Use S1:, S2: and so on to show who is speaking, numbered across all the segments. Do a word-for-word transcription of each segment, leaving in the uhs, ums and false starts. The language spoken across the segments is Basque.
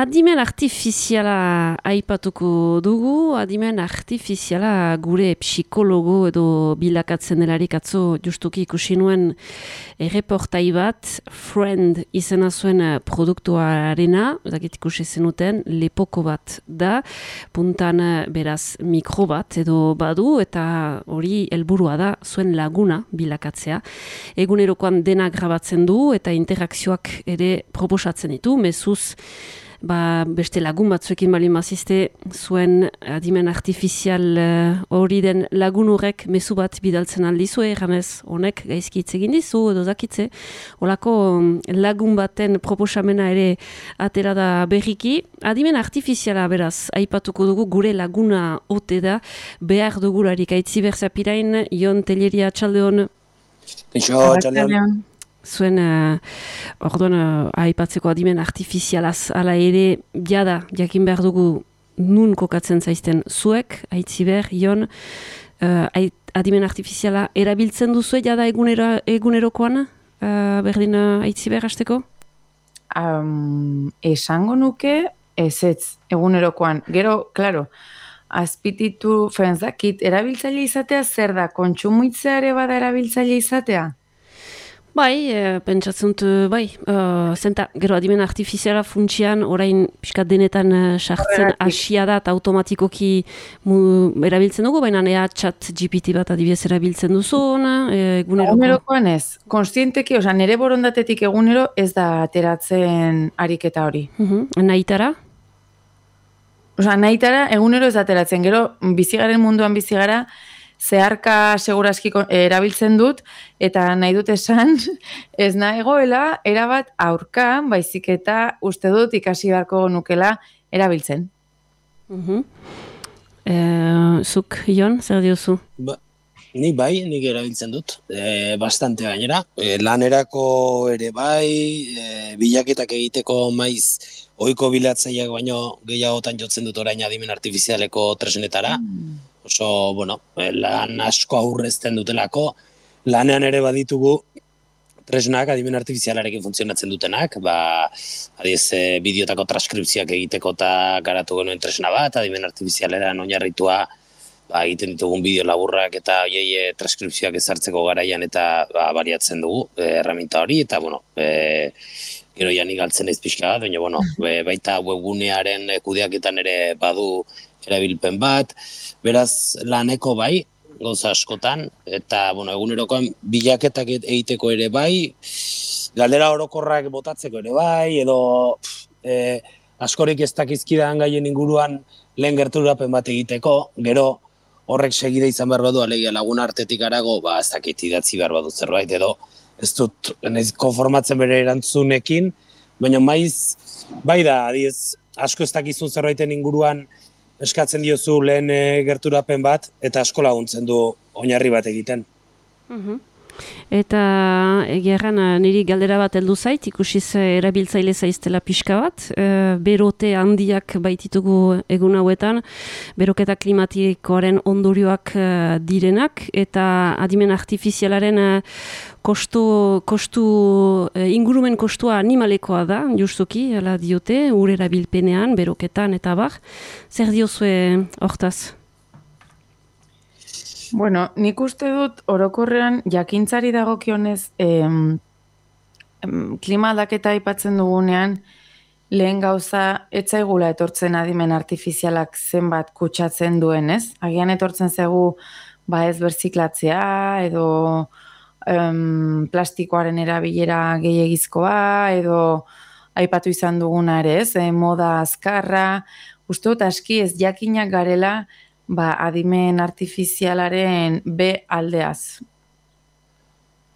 S1: adimen artifiziala aipatuko dugu, adimen artifiziala gure psikologo edo bilakatzen delarik atzo justuki ikusi nuen erreportai bat, Friend izena zuen produktuarena, zakit ikusi zenuten, lepoko bat da, puntan beraz mikro bat edo badu, eta hori helburua da zuen laguna bilakatzea. Egunerokoan dena grabatzen du eta interakzioak ere proposatzen ditu, mezuz ba, beste lagun batzuekin bali mazizte zuen adimen artifizial hori uh, den lagun horrek mezu bat bidaltzen aldizu, erranez honek gaizki hitz egin dizu edo zakitze. Olako lagun baten proposamena ere atera da berriki. Adimen artifiziala beraz, aipatuko dugu gure laguna ote da, behar dugularik aitzi berzapirain, Jon Telleria, txaldeon.
S2: Eixo, txaldeon.
S1: Zuen, uh, orduan, uh, aipatzeko adimen artifizialaz, ala ere, jada, jakin behar dugu nun kokatzen zaizten zuek, aitziber, Jon, uh, adimen artifiziala erabiltzen duzue, jada egunero, egunerokoan, uh, berdin uh, aitziber hasteko?
S3: Um, esango nuke, ez ez, egunerokoan. Gero, klaro, azpititu, fenzakit, erabiltzaile izatea zer da, kontsumitzea ere bada erabiltzaile izatea?
S1: Bai, e, pentsatzen dut, bai, uh, zenta, gero adimen artifiziala funtsian, orain pixkat denetan uh, sartzen hasia da eta automatikoki mu, erabiltzen dugu, baina ea chat G P T bat adibidez erabiltzen duzun, eguneroko.
S3: Egunerokoan ez, konstienteki, oza, nire borondatetik egunero ez da ateratzen ariketa hori.
S1: Uh-huh. Nahitara?
S3: Oza, nahitara egunero ez da ateratzen, gero bizigaren munduan bizigara, zeharka seguraski erabiltzen dut, eta nahi dut esan, ez nahegoela, erabat aurka, baizik eta uste dut ikasi beharko nukela erabiltzen.
S1: Uh-huh. E, zuk, Jon, zer diozu?
S2: Ba, ni bai, nik erabiltzen dut, e, bastante gainera. E, lanerako ere bai, e, bilaketak egiteko maiz, ohiko bilatzaileak baino gehiagotan jotzen dut orain adimen artifizialeko tresnetara. Mm. Oso, bueno, lan asko aurrezten dutelako, lanean ere baditugu tresnak adimen artifizialarekin funtzionatzen dutenak, ba, adiez, bideotako transkripzioak egiteko eta garatu genuen tresna bat, adimen artifizialeran oinarritua ba, egiten ditugun bideo laburrak eta oiei transkripzioak ezartzeko garaian eta ba, baliatzen dugu e, erraminta hori, eta, bueno, e, gero janik galtzen ez pixka bat, baina, bueno, e, baita webgunearen kudeaketan ere badu erabilpen bat, beraz laneko bai, gauza askotan, eta bueno, egunerokoan bilaketak egiteko ere bai, galdera orokorrak botatzeko ere bai, edo e, askorik ez dakizkidan gaien inguruan lehen gerturapen bat egiteko, gero horrek segide izan behar badu, alegia lagun artetik arago, ba ez dakit idatzi behar badu zerbait, edo ez dut naiz konformatzen bere erantzunekin, baina maiz, bai da, adiez, asko ez dakizun zerbaiten inguruan eskatzen diozu lehen e, gerturapen bat, eta asko laguntzen du oinarri bat egiten.
S1: Uh-huh. Eta egerran niri galdera bat heldu zait, ikusiz erabiltzaile zaiztela pixka bat, e, berote handiak baititugu egun hauetan, beroketa klimatikoaren ondorioak e, direnak, eta adimen artifizialaren e, kostu, kostu e, ingurumen kostua animalekoa da, justuki, ala diote, ur erabilpenean, beroketan eta bar. Zer diozue hortaz?
S3: Bueno, nik uste dut orokorrean jakintzari dagokionez em, em, klima aldaketa aipatzen dugunean lehen gauza etzaigula etortzen adimen artifizialak zenbat kutsatzen duen, ez? Agian etortzen zaigu ba ez berziklatzea edo em, plastikoaren erabilera gehiegizkoa edo aipatu izan duguna ere, ez? E, moda azkarra, uste dut aski ez jakinak garela ba, adimen artifizialaren B aldeaz.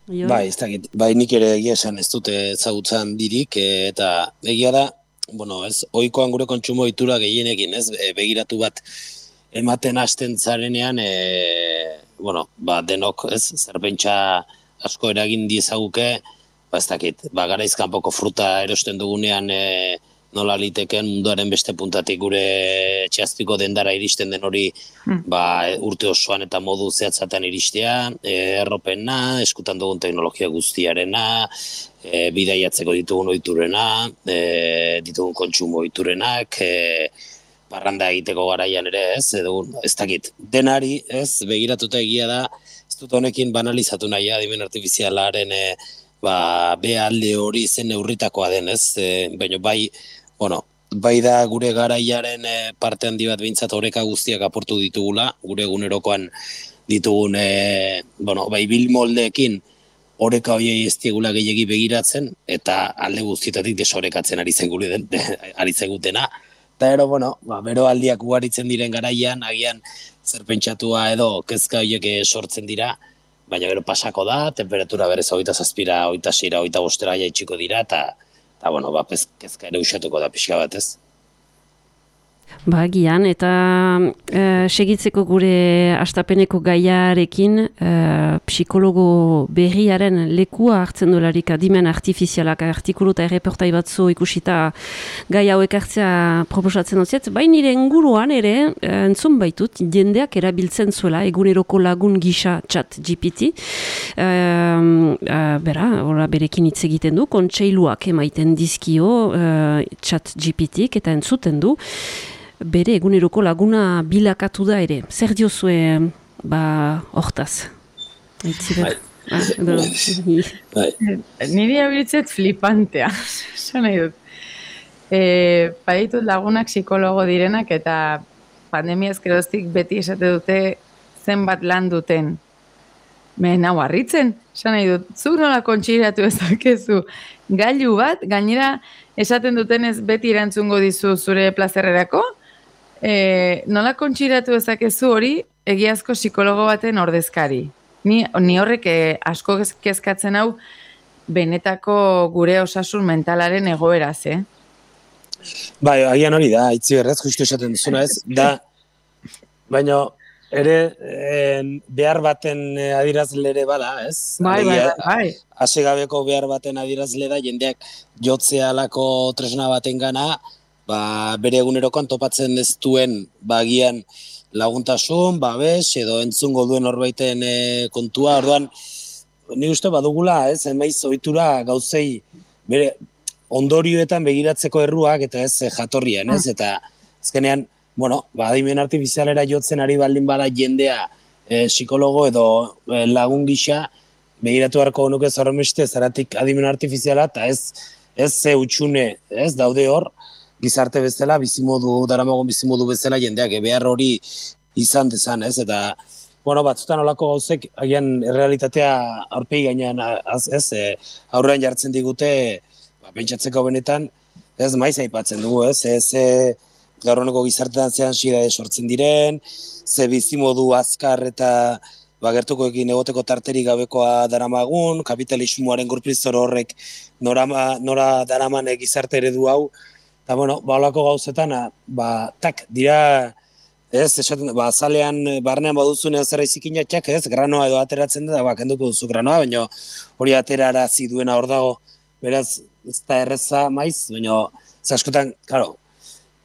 S2: Bai, ez dakit, bai nik ere egia esan ez dute ezagutzen dirik, e, eta egia da, bueno, ez, ohikoan gure kontsumo ohitura gehienekin, ez, e, begiratu bat ematen hasten zarenean, e, bueno, ba, denok, ez, zerbentsa asko eragin diezaguke, ba, ez dakit, ba, garaiz kanpoko fruta erosten dugunean, e, nola liteken munduaren beste puntatik gure txazpiko dendara iristen den hori hmm. ba, urte osoan eta modu zehatzaten iristea, e, erropena, eskutan dugun teknologia guztiarena, e, bidaiatzeko ditugun ohiturena, e, ditugun kontsumo ohiturenak, e, parranda egiteko garaian ere ez, edo ez dakit, denari ez, begiratuta egia da, ez dut honekin banalizatu nahi adimen artifizialaren e, ba, behalde hori zen neurritakoa den ez, e, baina bai, bueno, bai da gure garaiaren e, parte handi bat behintzat oreka guztiak aportu ditugula, gure egunerokoan ditugun, e, bueno, bai bil moldeekin oreka horiei ez diegula gehiegi begiratzen, eta alde guztietatik desorekatzen ari zen gure den, ari zegutena. Eta ero, bueno, ba, bero aldiak ugaritzen diren garaian, agian zer pentsatua edo kezka horiek sortzen dira, baina gero pasako da, temperatura berez hogeita zazpira, hogeita seira, hogeita bostera jaitsiko dira, eta eta, bueno, ba, kezka ere usatuko da pixka bat, ez?
S1: Ba, gian, eta e, segitzeko gure astapeneko gaiarekin, e, psikologo berriaren lekua hartzen dolarik adimen artifizialak artikulu eta erreportai batzu ikusita gai hauek hartzea proposatzen dut, baina nire inguruan ere, entzun baitut, jendeak erabiltzen zuela, eguneroko lagun gisa chat G P T, e, e, bera, ora, berekin hitz egiten du, kontseiluak emaiten dizkio e, chat G P T-k eta entzuten du, bere eguneroko laguna bilakatu da ere. Zer diozue, ba, hortaz?
S2: Bai.
S3: Bai. Niri abiltzet flipantea, esan nahi dut. E, Baditut lagunak psikologo direnak eta pandemiaz geroztik beti esate dute zenbat lan duten. Me nau harritzen, esan nahi dut, zuk nola kontxiratu ezakezu gailu bat, gainera esaten dutenez beti erantzungo dizu zure plazerrerako, e, nola kontxiratu ezakezu hori egiazko psikologo baten ordezkari. Ni, ni horrek eh, asko kezkatzen hau benetako gure osasun mentalaren egoeraz, eh?
S2: Bai, agian hori da, itzi berrez, justu esaten duzuna ez, da, baina ere en, behar baten adirazle ere bada, ez?
S3: Bai, bai, bai.
S2: Asegabeko behar baten adirazle da, jendeak jotzea alako tresna baten gana, ba, bere egunerokoan topatzen ez duen, ba, agian laguntasun, babes, edo entzungo duen horbaiten e, kontua, orduan, ni uste badugula, ez, emaiz ohitura gauzei, bere ondorioetan begiratzeko erruak, eta ez jatorrian, ez, eta azkenean, bueno, ba, adimen artifizialera jotzen ari baldin bada jendea e, psikologo edo e, lagun gisa, begiratu beharko nuke zorromeste zaratik adimen artifiziala, eta ez, ez ze utxune, ez, daude hor, gizarte bezala, bizimodu, daramagon bizimodu bezala jendeak, e, behar hori izan dezan, ez, eta, bueno, batzutan olako gauzek, agian realitatea aurpegi gainean, az, ez, e, aurrean jartzen digute, ba, pentsatzeko benetan, ez, maiz aipatzen dugu, ez, ez, e, gaur honeko gizartean zehan xidade sortzen diren, ze bizimodu azkar eta bagertukoekin egoteko tarterik gabekoa daramagun, kapitalismoaren gurprizor horrek nora, nora daraman gizarte eredu hau, eta bueno, ba holako gauzetan, ba, tak, dira, ez, esaten, ba, azalean, barnean baduzunean zera izikinatxak, ez, granoa edo ateratzen da, ba, kenduko duzu granoa, baina hori aterara ziduena hor dago, beraz, ez da erreza maiz, baina, ez askotan, karo,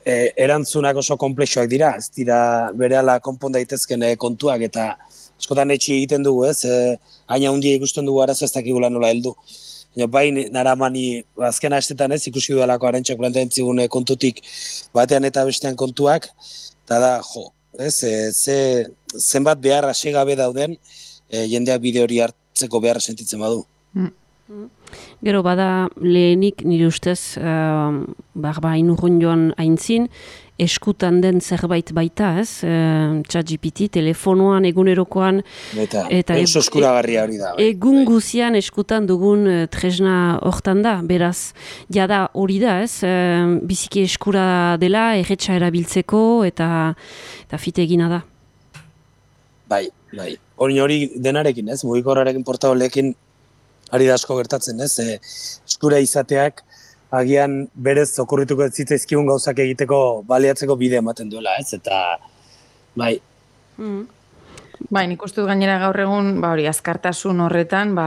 S2: E, erantzunak oso komplexoak dira, ez dira berehala konpon daitezken e, kontuak eta askotan etxi egiten dugu, ez? E, haina hundia ikusten dugu arazo ez dakigula nola heldu. Bai, naramani azken astetan ez ikusi dudalako arentxak plantean zigun kontutik batean eta bestean kontuak, eta da, jo, ez? E, ze, zenbat behar asegabe dauden e, jendeak bide hori hartzeko beharra sentitzen badu.
S1: Mm. Gero bada lehenik nire ustez uh, barba inurrun joan aintzin eskutan den zerbait baita, ez? Uh, ChatGPT, telefonoan, egunerokoan
S2: eta, eta e, eskuragarria hori da. Bai.
S1: Egun guzian eskutan dugun uh, tresna hortan da, beraz, jada hori da, ez? Uh, biziki eskura dela, erretxa erabiltzeko eta, eta fite egina da.
S2: Bai, bai. Hori hori denarekin, ez? Mugikorrarekin portabolekin ari da asko gertatzen, ez? E, eskura izateak agian berez okurrituko ez zitzaizkigun gauzak egiteko baliatzeko bide ematen duela, ez? Eta, bai.
S3: Mm. Bai, nik ustut gainera gaur egun, ba hori, azkartasun horretan, ba,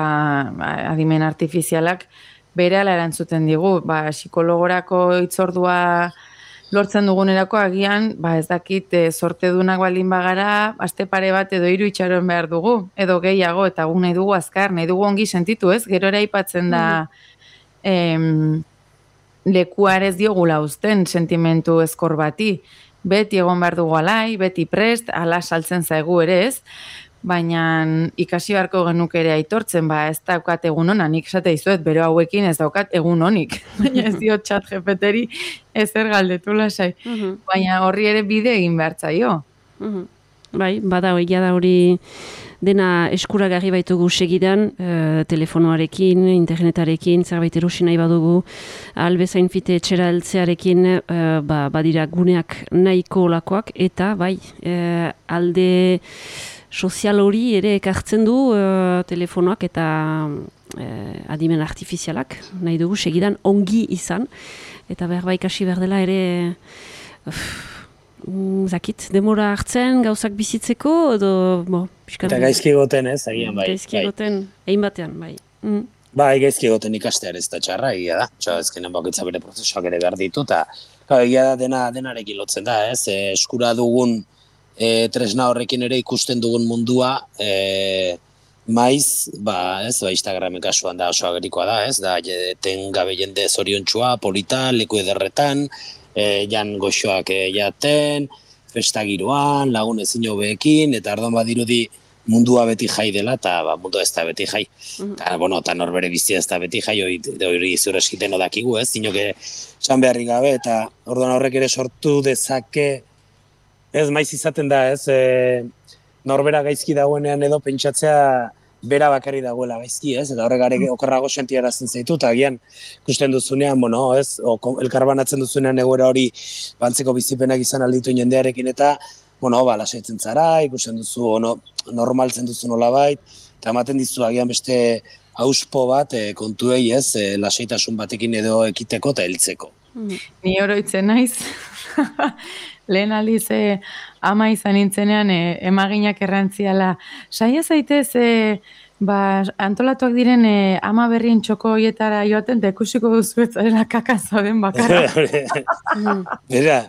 S3: ba adimen artifizialak berehala erantzuten digu, ba, psikologorako hitzordua lortzen dugunerako agian, ba, ez dakit, e, sortedunak baldin bagara, aste pare bat edo hiru itxaron behar dugu, edo gehiago, eta gu nahi dugu azkar, nahi dugu ongi sentitu, ez? Gero ere aipatzen da, em, lekuar ez diogula uzten sentimentu ezkor bati, beti egon behar dugu alai, beti prest, ala saltzen zaigu ere ez, baina ikasi beharko genuke ere aitortzen, ba, ez daukat egun ona, nik esate dizuet, bero hauekin ez daukat egun onik, baina ez dio txat jepeteri ezer galdetu lasai, baina horri ere bide egin behar zaio.
S1: Bai, bada egia da hori dena eskuragarri baitugu segidan, e, telefonoarekin, internetarekin, zerbait erosi nahi badugu, albezain fite etxera heltzearekin, e, ba, badira guneak nahiko olakoak, eta bai, e, alde sozial hori ere ekartzen du e, telefonoak eta e, adimen artifizialak, nahi dugu segidan ongi izan, eta behar bai kasi behar dela ere... Uf, zakit, demora hartzen gauzak bizitzeko, edo... Bo,
S2: eta gaizki egoten ez, agian bai.
S1: Gaizki egoten, egin batean, bai. Mm.
S2: Bai, gaizki egoten ikastear ez da txarra, egia da. Txau, ezkenen bakitza bere prozesuak ere behar ditu, eta egia da dena denarekin lotzen da, ez? E, eskura dugun e, tresna horrekin ere ikusten dugun mundua, e, maiz, ba, ez, ba, Instagramen kasuan da oso agerikoa da, ez? Da, ten gabe jende zoriontsua, polita, leku ederretan, E, jan goxoak e, jaten, festagiroan, lagun ezin hobeekin, eta ardoan badirudi mundua beti jai dela, eta ba, mundua ez da beti jai. Eta, bueno, eta norbere bizia ez da beti jai, hori zure eskiten odakigu, ez? Zinoke esan beharrik gabe, eta orduan horrek ere sortu dezake, ez maiz izaten da, ez? E, norbera gaizki dagoenean edo pentsatzea bera bakarri dagoela gaizki, ez? Eta horregare okerrago sentiarazten zaitu, eta agian ikusten duzunean, bueno, ez? O, elkarbanatzen duzunean egoera hori bantzeko bizipenak izan alditu jendearekin, eta, bueno, ba, lasaitzen zara, ikusten duzu, ono, normaltzen duzu nolabait, eta ematen dizu agian beste auspo bat e, kontuei, ez? E, lasaitasun batekin edo ekiteko eta heltzeko.
S3: Ni oroitzen naiz, lehen aldiz e, ama izan nintzenean e, emaginak errantziala. Saia zaitez, e, ba, antolatuak diren e, ama berrien txoko hoietara joaten, eta ikusiko duzu ez zarela kakazo den bakarra.
S2: Bera,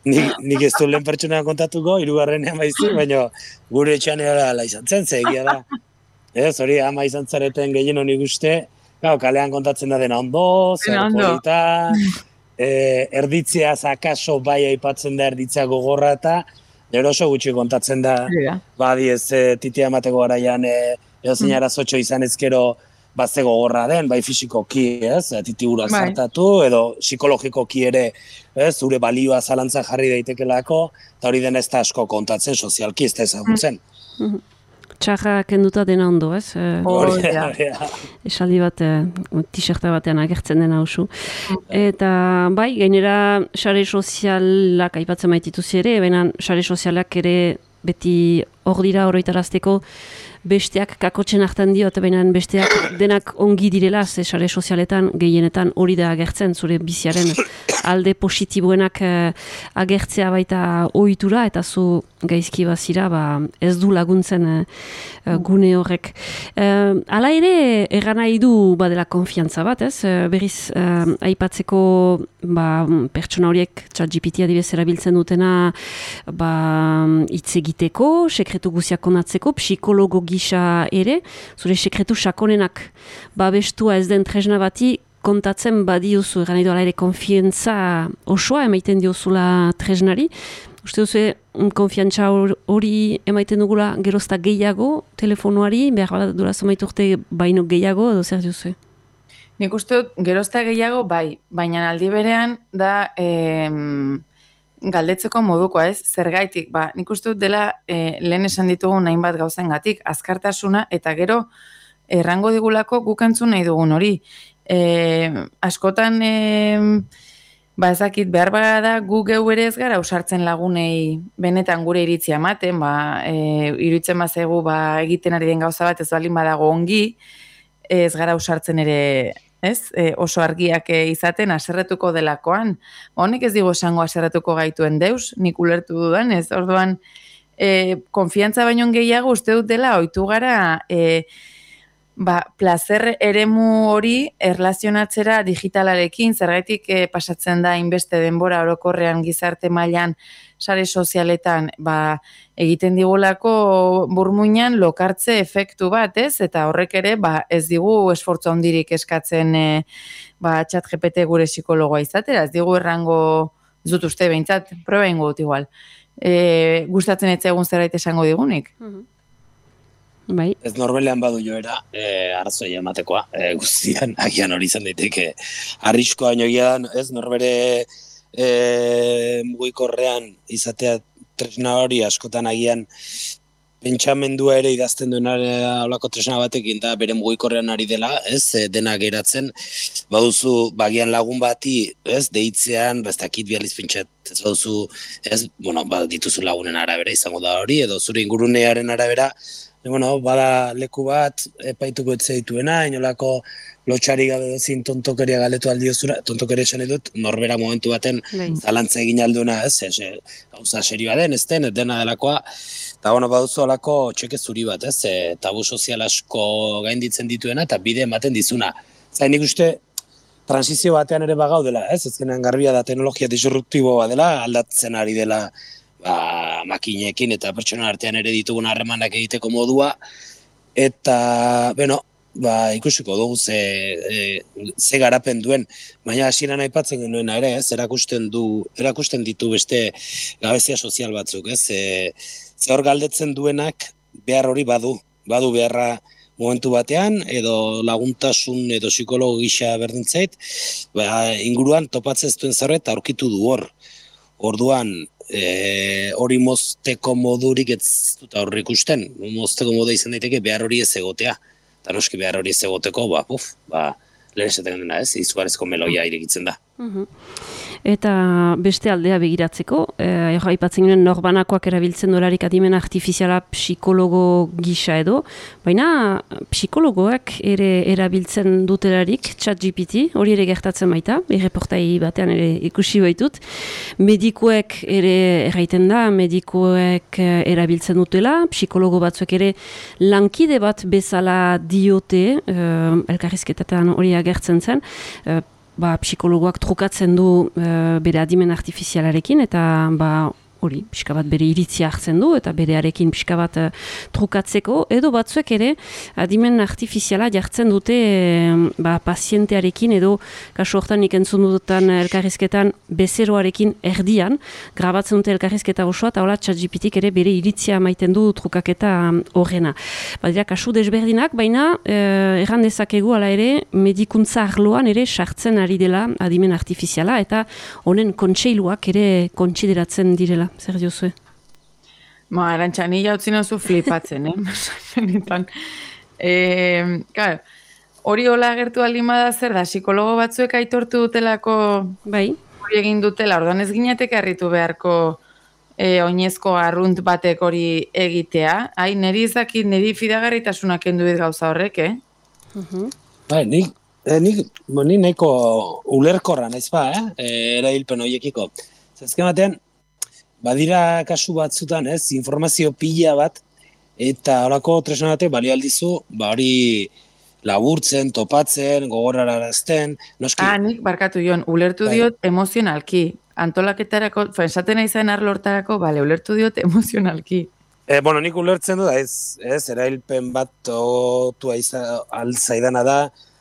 S2: nik, nik ez du lehen pertsona kontatuko, hirugarrenean baizik, baina gure etxean ala izan zen, zegia da. Ez, hori ama izan zareten gehien honi guzti, kalean kontatzen da dena ondo, zer polita, E, erditzea zakaso bai aipatzen da erditzea gogorra eta gero oso gutxi kontatzen da yeah. Badi ez e, titia emateko garaian e, edo zein arazotxo izan ezkero bazte gogorra den, bai fisikoki ez, titi urak bai. Zartatu edo psikologikoki ere ez, zure balioa zalantza jarri daitekelako eta hori den ez da asko kontatzen sozialki ez da ezagutzen.
S1: Mm. Txarra kenduta dena ondo, ez?
S3: Hori da.
S1: Esaldi bat, t-shirta batean agertzen dena oso. Eta, bai, gainera, sare sozialak aipatzen maitituzi ere, baina sare sozialak ere beti hor dira oroitarazteko besteak kakotzen hartan dio, eta baina besteak denak ongi direla, ze sare sozialetan gehienetan hori da agertzen, zure biziaren alde positiboenak eh, agertzea baita ohitura, eta zu gaizki bazira, ba, ez du laguntzen eh, gune horrek. Eh, hala ere, erran nahi du badela konfiantza bat, ez? Eh, berriz, eh, aipatzeko ba, pertsona horiek ChatGPT adibez erabiltzen dutena ba, hitz egiteko, sekretu guziak konatzeko, psikologo gisa ere, zure sekretu sakonenak babestua ez den tresna bati kontatzen badiozu, eran edo ala ere konfiantza osoa emaiten diozula tresnari. Uste duzu, konfiantza hori emaiten dugula gerozta gehiago telefonoari, behar bat dura zamaitu urte baino gehiago, edo zer duzu?
S3: Nik uste dut gerozta gehiago bai, baina aldi berean da... Em... galdetzeko modukoa, ez? Zergaitik, ba, nik uste dut dela e, lehen esan ditugu hainbat gauzengatik, azkartasuna eta gero errango digulako guk entzun nahi dugun hori. E, askotan, e, ba ezakit, behar bada gu geu ere ez gara usartzen lagunei benetan gure iritzia ematen, ba, e, iruditzen bazegu ba, egiten ari den gauza bat ez balin badago ongi, ez gara usartzen ere... Ez? E, oso argiak izaten aserretuko delakoan. Honek ez digo esango aserretuko gaituen deus, nik ulertu dudan, ez? Orduan, e, konfiantza baino gehiago uste dut dela, ohitu gara, e, ba, plazer eremu hori erlazionatzera digitalarekin, zergaitik eh, pasatzen da inbeste denbora orokorrean gizarte mailan sare sozialetan, ba, egiten digulako burmuinan lokartze efektu bat, ez? Eta horrek ere, ba, ez digu esfortzu handirik eskatzen e, ba, chat G P T gure psikologoa izatera, ez digu errango, ez dut uste behintzat, proba ingo dut igual. E, gustatzen etza egun zerbait esango digunik.
S1: Bai.
S2: Ez norbelean badu joera, e, arrazoia ematekoa, e, guztian, agian hori izan daiteke, arriskoa baino egia da, ez norbere e, mugikorrean izatea tresna hori askotan agian pentsamendua ere idazten duen holako tresna batekin da bere mugikorrean ari dela, ez, e, dena geratzen, baduzu bagian lagun bati, ez, deitzean, ez dakit bializ pentsat, ez baduzu, ez, bueno, ba, dituzu lagunen arabera izango da hori, edo zure ingurunearen arabera, e, bueno, bada leku bat, epaituko etze dituena, inolako lotxari gabe dezin tontokeria galetu aldiozura, tontokeria esan edut, norbera momentu baten zalantza egin alduna, ez, ez, gauza serioa den, ez den, ez dena delakoa, eta bueno, baduzu alako txeke zuri bat, ez, e, tabu sozial asko gainditzen dituena, eta bide ematen dizuna. Zain nik uste, transizio batean ere bagaudela, ez, ezkenean garbia da teknologia disruptiboa dela, aldatzen ari dela ba, makinekin eta pertsona artean ere ditugun harremanak egiteko modua, eta, bueno, ba, ikusiko dugu ze, e, ze garapen duen, baina hasieran aipatzen genuena ere, ez, erakusten du, erakusten ditu beste gabezia sozial batzuk, ez, e, ze hor galdetzen duenak behar hori badu, badu beharra momentu batean, edo laguntasun edo psikologo gisa berdintzait, ba, inguruan topatzen ez duen zerbait aurkitu du hor. Orduan, e, hori mozteko modurik ez dut aurre ikusten, mozteko modu izan daiteke behar hori ez egotea. Eta noski behar hori ez egoteko, ba, puf, ba, lehen esaten dena ez, izugarrizko meloia irekitzen da.
S1: Uhum. Eta beste aldea begiratzeko, eh, aipatzen ginen norbanakoak erabiltzen dolarik adimen artifiziala psikologo gisa edo, baina psikologoak ere erabiltzen dutelarik chat G P T, hori ere gertatzen baita, erreportai batean ere ikusi baitut, medikuek ere erraiten da, medikuek erabiltzen dutela, psikologo batzuek ere lankide bat bezala diote, eh, elkarrizketetan hori agertzen zen, eh, ba, psikologoak trukatzen du e, bere adimen artifizialarekin eta ba, hori, pixka bat bere iritzia hartzen du eta berearekin pixka bat uh, trukatzeko, edo batzuek ere adimen artifiziala jartzen dute e, ba, pazientearekin edo kasu hortan nik entzun dutan elkarrizketan bezeroarekin erdian, grabatzen dute elkarrizketa osoa eta hola ChatGPTik ere bere iritzia maiten du trukaketa horrena. Badira kasu desberdinak, baina eh, erran dezakegu ala ere medikuntza arloan ere sartzen ari dela adimen artifiziala eta honen kontseiluak ere kontsideratzen direla. Zer diozue?
S3: Ma, Arantxa, ni jautzin oso flipatzen, eh? Benetan. E, claro, hori hola agertu alimada zer da, psikologo batzuek aitortu dutelako
S1: bai.
S3: Hori egin dutela, orduan ez ginetek harritu beharko e, oinezko arrunt batek hori egitea. Ai, niri izakit, niri fidagarritasunak enduit gauza horrek, eh?
S1: Uh-huh.
S2: Bai, nik, eh, nik, nik nahiko ulerkorra naiz ba, eh? E, erabilpen horiekiko. Zazken batean, badira kasu batzutan, ez, informazio pila bat, eta horako tresna batek balio aldizu, ba hori laburtzen, topatzen, gogorrarazten, noski.
S3: Ah, nik barkatu Jon, ulertu bai. Diot emozionalki. Antolaketarako, esaten nahi zen arlortarako, bale, ulertu diot emozionalki.
S2: E, bueno, nik ulertzen du da, ez, ez, erailpen bat otua alzaidana da,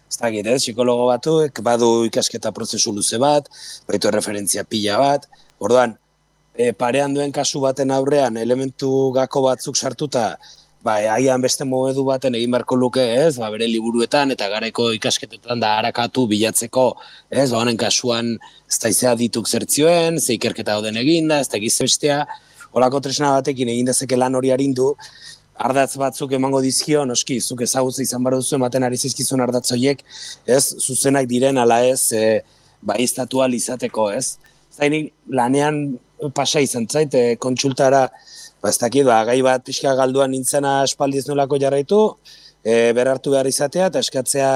S2: ez dakit, ez, psikologo batuek, badu ikasketa prozesu luze bat, baitu referentzia pila bat, orduan, E, parean duen kasu baten aurrean elementu gako batzuk sartuta ba, haian beste modu baten egin beharko luke, ez, ba, bere liburuetan eta garaiko ikasketetan da harakatu bilatzeko, ez, ba, honen kasuan ez da izea dituk zertzioen, ze ikerketa dauden eginda, ez da egizbestea, holako tresna batekin egin dezake lan hori arindu, ardatz batzuk emango dizkio, noski, zuk ezagutza izan behar duzu ematen ari zizkizun ardatz horiek, ez, zuzenak diren ala ez, e, ba, iztatua izateko, ez. Zainik lanean pasa izan zait, e, kontsultara, ba, ez dakit, ba, gai bat pixka galduan nintzena espaldiz nolako jarraitu, e, berartu behar izatea, eta eskatzea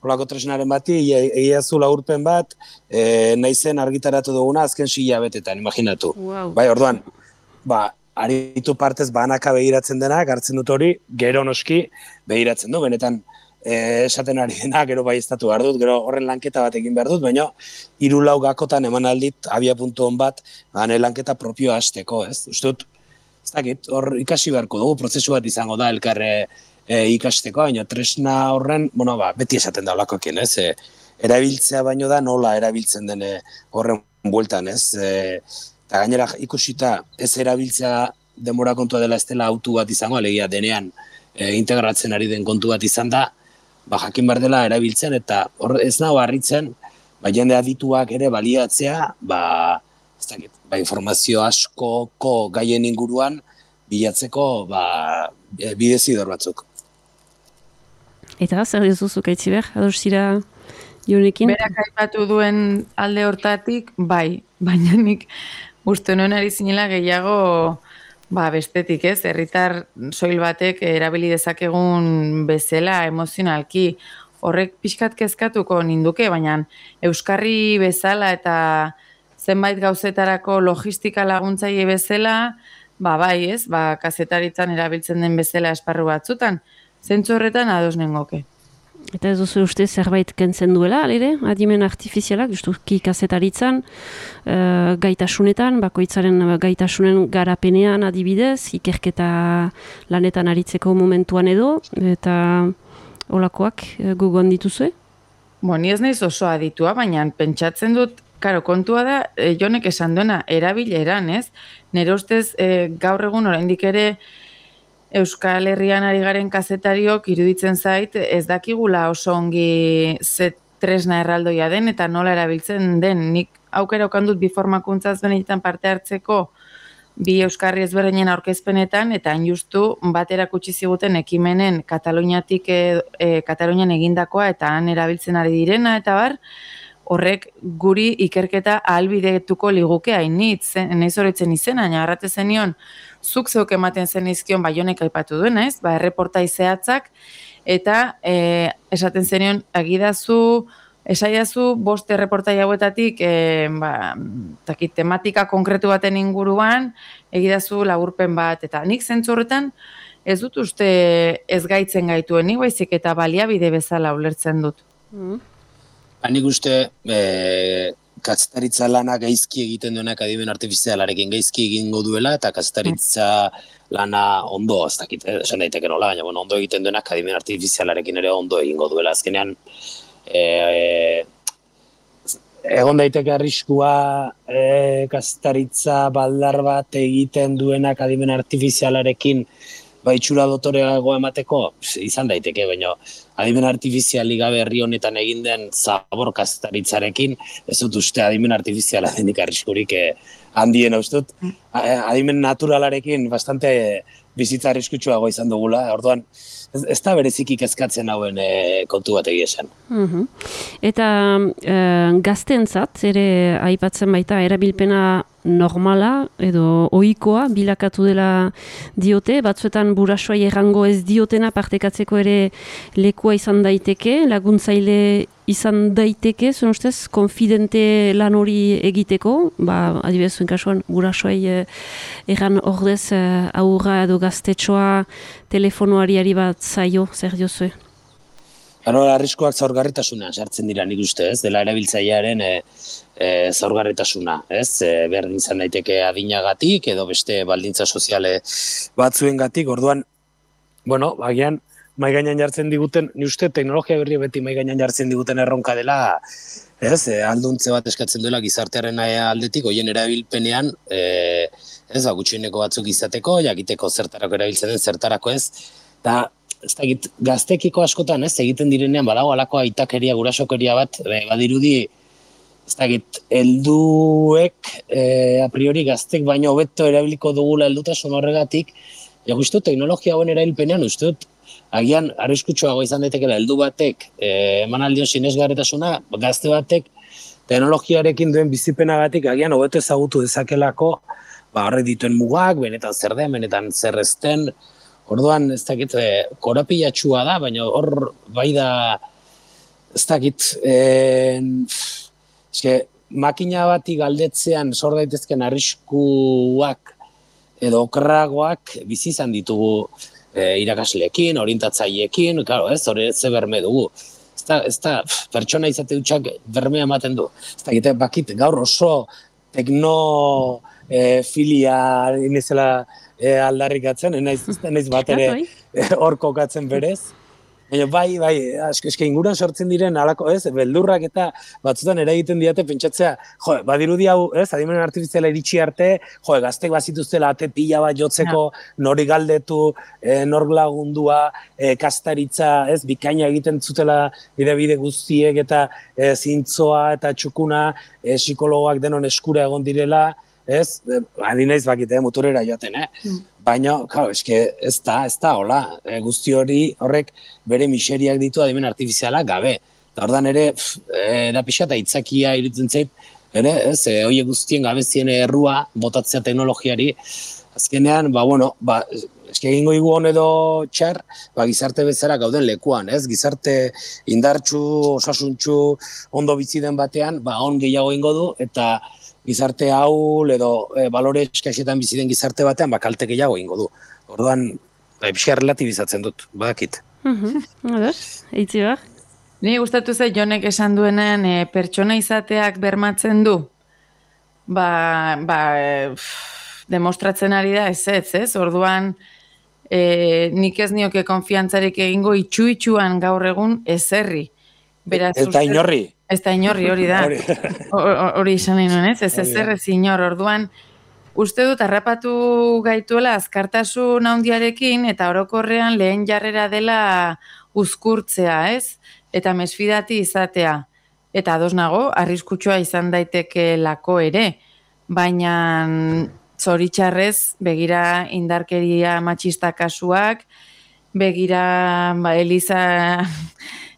S2: holako tresnaren bati, egia zu laurpen bat, e, naizen argitaratu duguna azken sila betetan, imaginatu.
S1: Wow.
S2: Bai, orduan, ba, aritu partez banaka begiratzen denak, hartzen dut hori, gero noski begiratzen du, benetan e, esaten ari dena, gero bai estatu behar dut, gero horren lanketa bat egin behar dut, baina hiru lau gakotan eman aldit, abia puntu hon bat, bane lanketa propioa hasteko, ez? Uste dut, ez dakit, hor ikasi beharko dugu, prozesu bat izango da elkarre e, ikasteko, baina tresna horren, bueno, ba, beti esaten da olakoekin, ez? E, erabiltzea baino da nola erabiltzen den horren bueltan, ez? E, eta gainera ikusita ez erabiltzea denbora kontua dela ez dela autu bat izango, alegia denean e, integratzen ari den kontu bat izan da, ba, jakin behar dela erabiltzen, eta hor ez nago harritzen, ba, jende adituak ere baliatzea, ba, ez dakit, ba, informazio askoko gaien inguruan bilatzeko ba, bidezidor batzuk.
S1: Eta zer dizuzuk aitziber, adosira Jonekin?
S3: Berak aipatu duen alde hortatik, bai, baina nik uste nuen ari zinela gehiago ba, bestetik, ez? Herritar soil batek erabili dezakegun bezala emozionalki. Horrek pixkat kezkatuko ninduke, baina euskarri bezala eta zenbait gauzetarako logistika laguntzaile bezala, ba, bai, ez? Ba, kazetaritzan erabiltzen den bezala esparru batzutan, zentzu horretan ados nengoke.
S1: Eta ez duzu uste zerbait kentzen duela, alire, adimen artifizialak, justuki kazetaritzan, e, gaitasunetan, bakoitzaren gaitasunen garapenean adibidez, ikerketa lanetan aritzeko momentuan edo, eta olakoak e, gugon dituzue?
S3: Bo, ni ez naiz oso aditua, baina pentsatzen dut, karo, kontua da, e, Jonek esan duena, erabileran, ez? Nire ustez, e, gaur egun oraindik ere, Euskal Herrian ari garen kazetariok iruditzen zait ez dakigula oso ongi ze tresna erraldoia den eta nola erabiltzen den. Nik aukera okan dut bi formakuntzaz benetan parte hartzeko bi euskarri ezberdinen aurkezpenetan eta hain justu bat erakutsi ziguten ekimenen Kataluniatik e, e, Katalunian egindakoa eta han erabiltzen ari direna eta bar, horrek guri ikerketa ahalbidetuko liguke hainitz, nahiz horretzen izena, naharrate zenion, zuk zeuk ematen zen izkion Baionek aipatu duen, ez? Ba, erreportai zehatzak, eta e, esaten zenion, agidazu, esaiazu, bost erreportai hauetatik, e, ba, takit, tematika konkretu baten inguruan, egidazu laburpen bat, eta nik zentzu horretan, ez dut uste ez gaitzen gaituen, ni baizik eta baliabide bezala ulertzen dut.
S1: Mm.
S2: Nik uste, e, kazetaritza lana gaizki egiten duenak adimen artifizialarekin gaizki egingo duela, eta kazetaritza lana ondo, ez dakit, esan daiteke nola, baina bueno, ondo egiten duenak adimen artifizialarekin ere ondo egingo duela. Azkenean, e, e, egon daiteke arriskua e, kazetaritza baldar bat egiten duenak adimen artifizialarekin ba, itxura dotoreago emateko, izan daiteke, baina adimen artifiziali gabe herri honetan egin den zabor kazetaritzarekin, ez dut uste adimen artifiziala denik arriskurik eh, handiena uste dut. Adimen naturalarekin bastante bizitza arriskutsuago izan dugula, orduan ez, ez da bereziki kezkatzen hauen e, kontu bat egia esan.
S1: Uhum. Eta e, gazteentzat ere aipatzen baita erabilpena normala edo ohikoa bilakatu dela diote, batzuetan burasoai errango ez diotena partekatzeko ere lekua izan daiteke, laguntzaile izan daiteke, zuen ustez, konfidente lan hori egiteko, ba, adibidez zuen kasuan, burasoai eh, erran ordez eh, aurra edo gaztetxoa telefonoari bat zaio, zer diozue?
S2: Haro, arriskoak zaurgarritasuna sartzen dira nik uste, ez? Dela erabiltzailearen e, e, zaurgarritasuna, ez? E, berdin izan daiteke adinagatik edo beste baldintza soziale batzuengatik, orduan, bueno, agian, mai gainean jartzen diguten, ni uste teknologia berri beti mai gainean jartzen diguten erronka dela, ez? E, alduntze bat eskatzen duela gizartearen aldetik, hoien erabilpenean, e, ez, ba, gutxieneko batzuk izateko, jakiteko zertarako erabiltzen den, zertarako ez, eta ez dakit, gaztekiko askotan, ez, egiten direnean badago alako aitakeria, gurasokeria bat, e, badirudi, ez dakit, helduek e, a priori gaztek baino hobeto erabiliko dugula heldutasun horregatik, ja uste dut teknologia hauen erabilpenean, uste dut, agian arriskutsuago izan daitekela heldu batek e, emanaldion sinesgarritasuna, gazte batek teknologiarekin duen bizipenagatik agian hobeto ezagutu dezakelako, ba horrek dituen mugak, benetan zer den, benetan zer ez den. Orduan, ez dakit, e, korapilatxua da, baina hor bai da, ez dakit, e, eske, makina bati galdetzean sor daitezken arriskuak edo okerragoak bizi izan ditugu e, irakasleekin, orientatzaileekin, claro, ez, hori ze berme dugu. Ez da, ez da, pertsona izate dutxak bermea ematen du. Ez da, egite, bakit, gaur oso tekno e, filia inizela e, aldarrikatzen, enaiz, enaiz bat ere hor kokatzen berez. Baina bai, bai, asko eske inguruan sortzen diren alako, ez, beldurrak eta batzutan eragiten diate pentsatzea, jo, badirudi hau, ez, adimen artifiziala iritsi arte, jo, gaztek bazituztela ate pila bat jotzeko, nori galdetu, e, nork lagundua, e, kastaritza, ez, bikaina egiten zutela bide-bide guztiek eta e, zintzoa eta txukuna, e, psikologoak denon eskura egon direla, ez, adinaiz bakite, muturera joaten, eh? Mm. Baina, claro, eske ez da, ez da, hola, e, guzti hori horrek bere miseriak ditu adimen artifiziala gabe. Eta ordan ere, e, da pixa eta itzakia irutzen zait, ere, ez, e, oie guztien gabezien errua botatzea teknologiari, azkenean, ba, bueno, ba, eske egingo igu hon edo txar, ba, gizarte bezala gauden lekuan, ez, gizarte indartsu, osasuntxu, ondo bizi den batean, ba, on gehiago ingo du, eta gizarte hau edo e, balore eskaixetan bizi den gizarte batean, ba, kalte gehiago ingo du. Orduan, ba, pixka relatibizatzen dut, badakit.
S1: Mhm, ados, eitzi behar?
S3: Ni gustatu zait Jonek esan duenean e, pertsona izateak bermatzen du. Ba, ba e, pff, demostratzen ari da ez ez, ez? Orduan, e, nik ez nioke konfiantzarik egingo itxu-itxuan gaur egun ezerri.
S2: Beraz, ez da inorri.
S3: Ez da inorri, hori da. Hori izan nahi nuen, ez? Ez ezer ez inor. Orduan, uste dut harrapatu gaituela azkartasun handiarekin eta orokorrean lehen jarrera dela uzkurtzea, ez? Eta mesfidati izatea. Eta ados nago, arriskutsua izan daiteke lako ere. Baina zoritxarrez, begira indarkeria matxista kasuak, begira ba, Eliza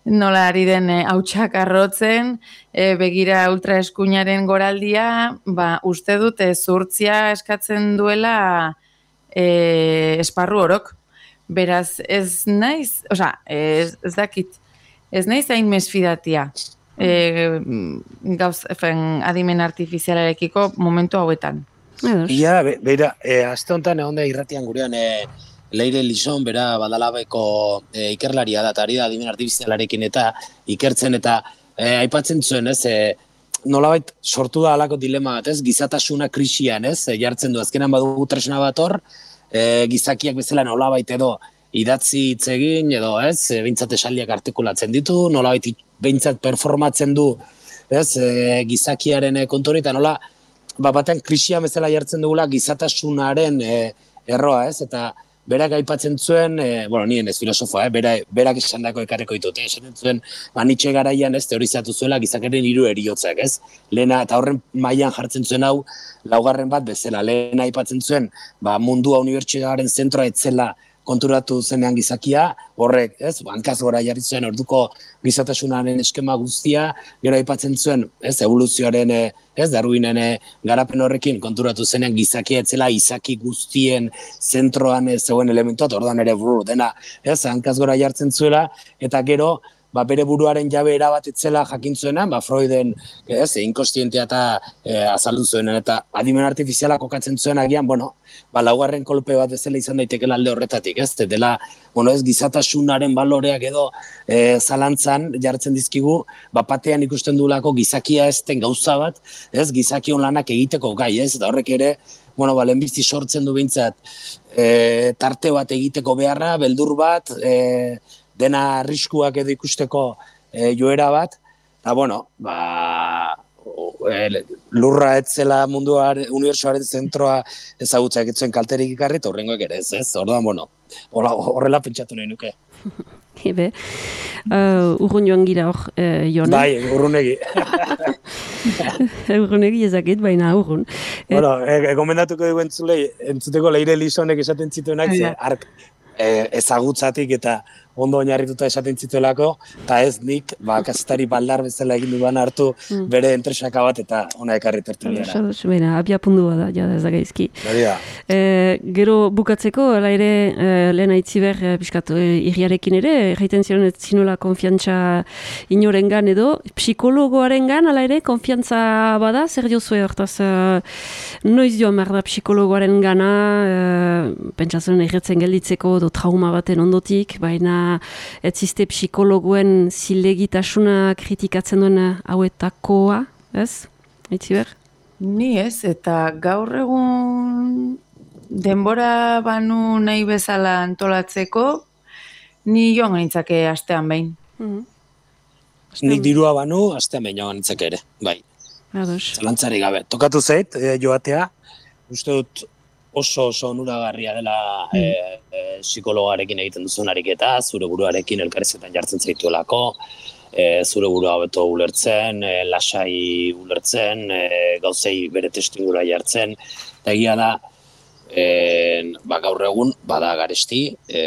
S3: nola ari den hautsak arrotzen, e, begira ultraeskuinaren goraldia, ba, uste dute zurtzia eskatzen duela e, esparru orok. Beraz, ez naiz, oza, ez, ez dakit, ez naiz hain mesfidatia e, gauz, efen, adimen artifizialarekiko momentu hauetan.
S2: Ia, be, beira, e, azte honetan egon da irratian gurean, e, Leire Lison, bera badalabeko e, ikerlaria da, eta ari da adimen artifizialarekin eta ikertzen eta e, aipatzen zuen, ez, e, nolabait sortu da alako dilema bat, ez, gizatasuna krisian, ez, e, jartzen du, azkenan badugu tresna bat hor, e, gizakiak bezala nolabait edo idatzi hitz egin, edo, ez, e, behintzat esaldiak artikulatzen ditu, nolabait behintzat performatzen du, ez, e, gizakiaren kontu hori, eta nola, ba, batean krisian bezala jartzen dugula gizatasunaren e, erroa, ez, eta berak aipatzen zuen, e, bueno, nien ez filosofoa, eh, bera, berak esan dako ekarreko ditut, eh, esaten zuen, ba, Nietzsche garaian ez teorizatu zuela gizakaren hiru heriotzak, ez? Lehena, eta horren mailan jartzen zuen hau, laugarren bat bezala, lehena aipatzen zuen, ba, mundua unibertsitataren zentroa etzela konturatu zenean gizakia, horrek, ez, hankaz gora jarri zuen orduko gizatasunaren eskema guztia, gero aipatzen zuen, ez, evoluzioaren, ez, Darwinen garapen horrekin konturatu zenean gizakia etzela izaki guztien zentroan zegoen elementuat, ordan ere buru, dena, ez, hankaz gora jartzen zuela, eta gero, ba, bere buruaren jabe erabat etzela jakin zuenan, ba, Freuden, ez, inkostientea eta e, azaldu zuenan, eta adimen artifiziala kokatzen zuen agian, bueno, ba, laugarren kolpe bat bezala izan daitekela alde horretatik, ez, dela, bueno, ez, gizatasunaren baloreak edo e, zalantzan jartzen dizkigu, ba, batean ikusten duelako gizakia ezten gauza bat, ez, gizakion lanak egiteko gai, ez, eta horrek ere, bueno, ba, lehenbizi sortzen du behintzat, e, tarte bat egiteko beharra, beldur bat, e, dena arriskuak edo ikusteko e, joera bat, eta, bueno, ba, e, lurra etzela munduar, unibertsuaren zentroa ezagutza egitzen kalterik ikarri, eta horrengoek ere ez, ez, orduan, bueno, horrela pentsatu nahi nuke.
S1: Ebe, uh, urrun joan gira hor, uh, Jon.
S2: Bai, urrunegi.
S1: Urrunegi ezakit, baina urrun.
S2: Bueno, e, gomendatuko dugu entzulei, entzuteko Leire Lisonek esaten zituenak, ze ark, E, ezagutzatik eta ondo oinarrituta esaten zituelako, eta ez nik, ba, kazetari baldar bezala egin duan hartu mm. bere entresaka bat eta ona ekarri tertuliara.
S1: Bera, abia pundua da, ja, ez da gaizki. E, gero bukatzeko, ala ere, e, lehen aitziber, e, piskat, e, irriarekin ere, erraiten ziren ez zinuela konfiantza inorengan edo, psikologoarengan, ala ere, konfiantza bada, zer diozue hortaz, e, noiz joan behar da psikologoaren gana, e, pentsatzen erretzen gelditzeko, do trauma baten ondotik, baina ez ziste psikologoen zilegitasuna kritikatzen duen hauetakoa, ez? Itziber?
S3: Ni ez, eta gaur egun denbora banu nahi bezala antolatzeko, ni joan ganitzake astean behin.
S2: Mm-hmm. Nik dirua banu, astean behin joan ganitzake ere, bai. Zalantzari gabe. Tokatu zait, e, joatea, uste dut oso oso onuragarria dela mm. e, e, psikologarekin egiten duzun ariketa, zure buruarekin elkarrezetan jartzen zaituelako, e, zure burua hobeto ulertzen, e, lasai ulertzen, e, gauzei bere testingura jartzen, eta egia da, e, ba, gaur egun bada garesti, e,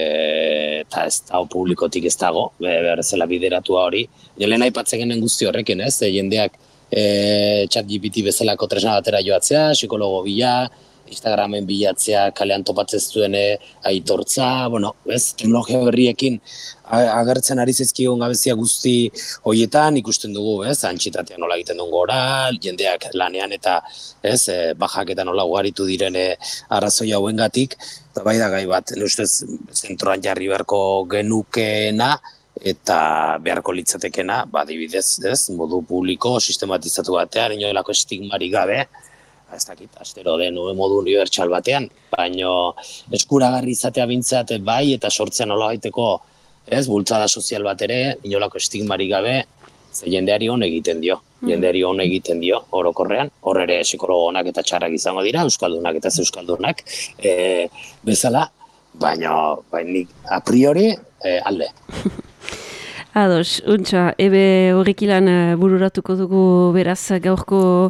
S2: eta ez da publikotik ez dago, behar zela bideratua hori. Lehen aipatzen genen guzti horrekin, ez? E, jendeak e, ChatGPT bezalako tresna batera joatzea, psikologo bila, Instagramen bilatzea, kalean topatzen zuen aitortza, bueno, ez, teknologia berriekin agertzen ari zaizkigun gabezia guzti horietan ikusten dugu, ez, antxitatea nola egiten duen gora, jendeak lanean eta, ez, bajak eta nola ugaritu direne arrazoi hauengatik, eta bai da gai bat, ustez, zentroan jarri beharko genukeena, eta beharko litzatekena, ba, adibidez, ez, modu publiko, sistematizatu batean, inolako estigmarik gabe, ez dakit, astero den modu unibertsal batean, baino eskuragarri izatea bintzat bai, eta sortzean nola baiteko, ez, bultzada sozial bat ere, inolako estigmarik gabe, ze jendeari hon egiten dio, jendeari hon egiten dio, orokorrean, hor ere psikologonak eta txarrak izango dira, euskaldunak eta ez euskaldunak, e, bezala, baino, bainik a priori, e, alde.
S1: Ados, untxa, ebe horrekilan bururatuko dugu beraz gaurko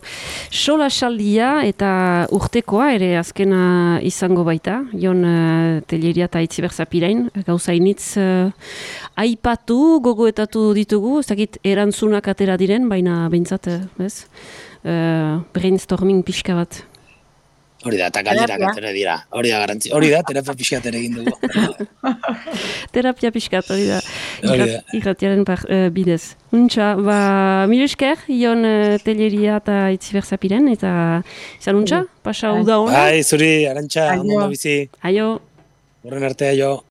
S1: sola saldia eta urtekoa ere azkena izango baita, Jon uh, Telleria eta Itziber Zapirain, gauzainitz uh, aipatu, gogoetatu ditugu, ez dakit erantzunak atera diren, baina behintzat, ez, uh, brainstorming pixka bat.
S2: Hori da, eta galderak atera dira. Hori da, garantzi. Hori da, terapia pixkat ere egin dugu.
S1: Terapia pixkat, hori da. Irratiaren uh, bidez. Untxa, ba, mil esker, Jon uh, Telleria eta Itziber Zapiren, eta izan untxa, pasa uda hona.
S2: Bai, zuri, Arantxa, ondo bizi.
S1: Aio.
S2: Horren arte, aio.